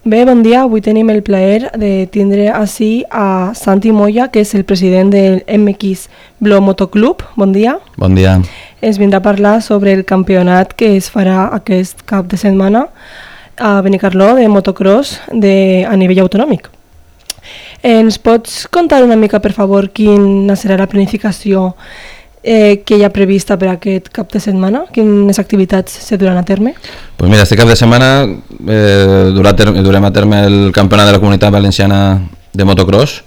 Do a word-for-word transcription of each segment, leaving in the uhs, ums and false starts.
Bé, bon dia. Avui tenim el plaer de tindre així a Santi Moya, que és el president del M X Blo Motoclub. Bon dia. Bon dia. Ens vindrà a parlar sobre el campionat que es farà aquest cap de setmana a Benicarló de motocross de, a nivell autonòmic. Ens pots contar una mica, per favor, quina serà la planificació eh, que hi ha prevista per aquest cap de setmana? Quines activitats se duran a terme? Pues mira, este cap de setmana eh, durà ter durem a terme el campionat de la Comunitat Valenciana de motocross.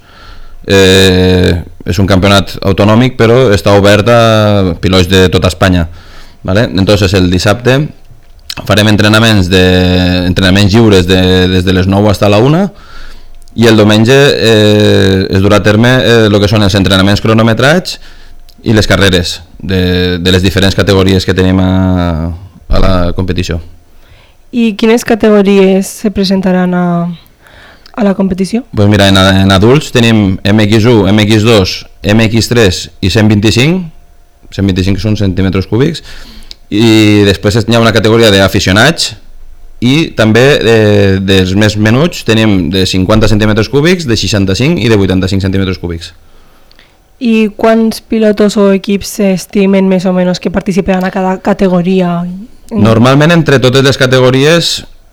Eh, és un campionat autonòmic, però està obert a pilots de tota Espanya, ¿vale? Entonces el dissabte farem entrenaments, de, entrenaments lliures de, des de les nou fins a la una, i el diumenge eh, es durà a terme el eh, que són els entrenaments cronometrats i les carreres de, de les diferents categories que tenim a, a la competició. I quines categories se presentaran a, a la competició? Pues mira, en, en adults tenim M X u, M X dos, M X tres i cent vint-i-cinc, cent vint-i-cinc són centímetres cúbics, i després hi ha una categoria d'aficionats, i també eh, dels més menuts tenim de cinquanta centímetres cúbics, de seixanta-cinc i de vuitanta-cinc centímetres cúbics. I quants pilotos o equips s'estimen més o menys que participaran a cada categoria? Normalment entre totes les categories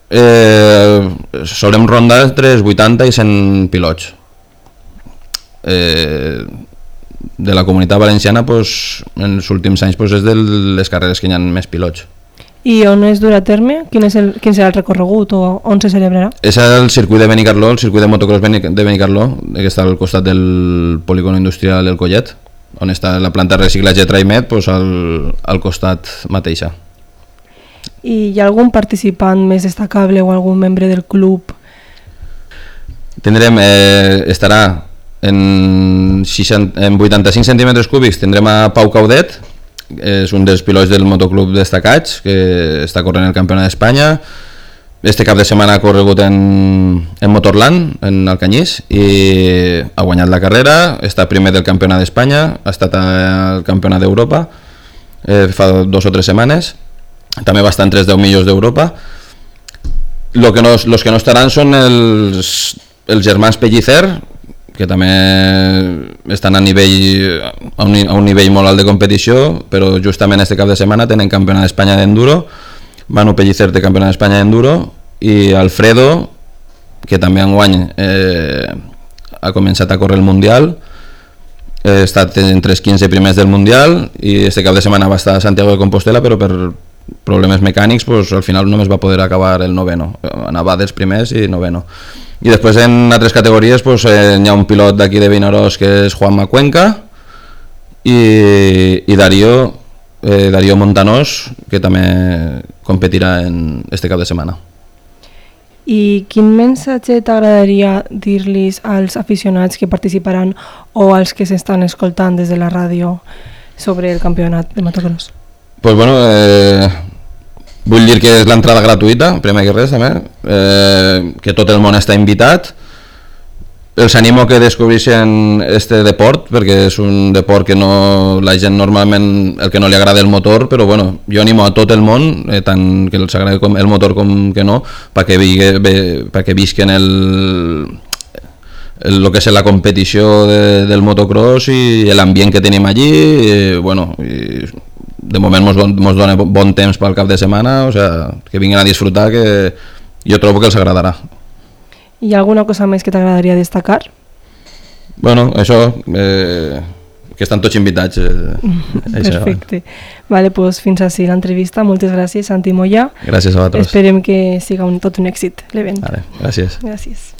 eh, solem rondar entre els vuitanta i cent pilots. Eh, de la Comunitat Valenciana pues, en els últims anys pues, és de les carreres que hi ha més pilots. I on es durà a terme? Quin, és el, quin serà el recorregut o on se celebrarà? És el circuit de Benicarló, el circuit de motocross de Benicarló, que està al costat del polígono industrial El Collet, on està la planta de reciclatge Traimet, pues al, al costat mateixa. I hi ha algun participant més destacable o algun membre del club? Tindrem, eh, estarà en, seixanta, en vuitanta-cinc centímetres cúbics, tindrem a Pau Caudet, és un dels pilots del motoclub destacats que està corrent el campionat d'Espanya. Este cap de setmana ha corregut en, en Motorland, en Alcanyís, i ha guanyat la carrera, està primer del campionat d'Espanya, ha estat al campionat d'Europa eh, fa dos o tres setmanes, també va estar entre els deu millors d'Europa. Lo que no, los que no estaran són els, els germans Pellicer, que també estan a, nivell, a, un, a un nivell molt alt de competició, però justament este cap de setmana tenen campionat d'Espanya d'enduro. Manu Pellicer té campionat d'Espanya d'enduro, i Alfredo, que també enguany eh, ha començat a córrer el Mundial, ha eh, estat entre els quinze primers del Mundial, i este cap de setmana va estar a Santiago de Compostela, però per problemes mecànics pues, al final només va poder acabar el noveno, anava dels primers i noveno. I després en altres categories pues, eh, hi ha un pilot d'aquí de Vinaròs que és Juanma Cuenca, i, i Darío, eh, Darío Montanós, que també competirà en este cap de setmana. I quin missatge t'agradaria dir-los als aficionats que participaran o als que s'estan escoltant des de la ràdio sobre el campionat de motocross? Pues bueno, eh, vull dir que és l'entrada gratuïta, primer que res també, eh, que tot el món està invitat. Els animo que descobreixen este deport, perquè és un deport que no, la gent normalment el que no li agrada el motor, però bueno, jo animo a tot el món, eh, tant que els agrada el motor com que no, perquè pa que visquen el, el, el que és la competició de, del motocross i l'ambient que tenim allí, i, bueno, i, de moment mos, mos dona bon temps pel cap de setmana, o sea, que vinguin a disfrutar, que jo trobo que els agradarà. Hi ha alguna cosa més que t'agradaria destacar? Bueno, això, eh, que estan tots invitats. Eh, Perfecte. Vale, pues fins així l'entrevista. Moltes gràcies, Santi Moya. Gràcies a vosaltres. Esperem que siga un, tot un èxit l'event. Vale, gràcies. Gràcies.